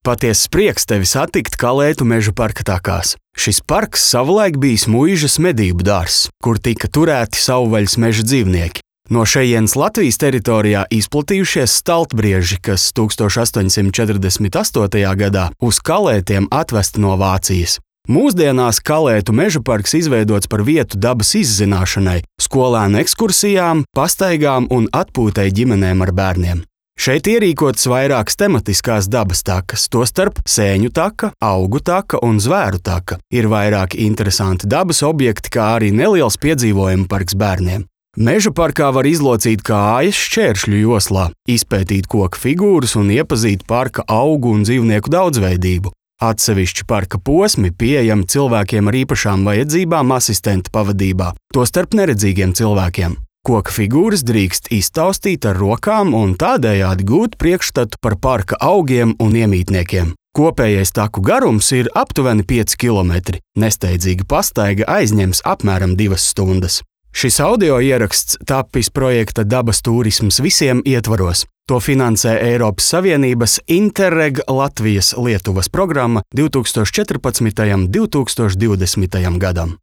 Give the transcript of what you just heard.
Patiess prieks tevi satikt Kalētu meža parka takās. Šis parks savulaik bijis muižas medību dārzs, kur tika turēti savvaļas meža dzīvnieki. No šejienes Latvijas teritorijā izplatījušies staltbrieži, kas 1848. gadā uz Kalētiem atvesti no Vācijas. Mūsdienās Kalētu meža parks izveidots par vietu dabas izzināšanai, skolēnu ekskursijām, pastaigām un atpūtai ģimenēm ar bērniem. Šeit ierīkotas vairākas tematiskās dabas takas, tostarp sēņu taka, augu taka un zvēru taka. Ir vairāki interesanti dabas objekti, kā arī neliels piedzīvojumu parks bērniem. Meža parkā var izlocīt kājas šķēršļu joslā, izpētīt koku figūras un iepazīt parka augu un dzīvnieku daudzveidību. Atsevišķi parka posmi pieejami cilvēkiem ar īpašām vajadzībām asistenta pavadībā, tostarp neredzīgiem cilvēkiem. Koka figūras drīkst iztaustīt ar rokām un tādējādi gūt priekšstatu par parka augiem un iemītniekiem. Kopējais taku garums ir aptuveni 5 km. Nesteidzīga pastaiga aizņems apmēram 2 stundas. Šis audio ieraksts tapis projekta Dabas turisms visiem ietvaros. To finansē Eiropas Savienības Interreg Latvijas-Lietuvas programma 2014. un 2020. gadam.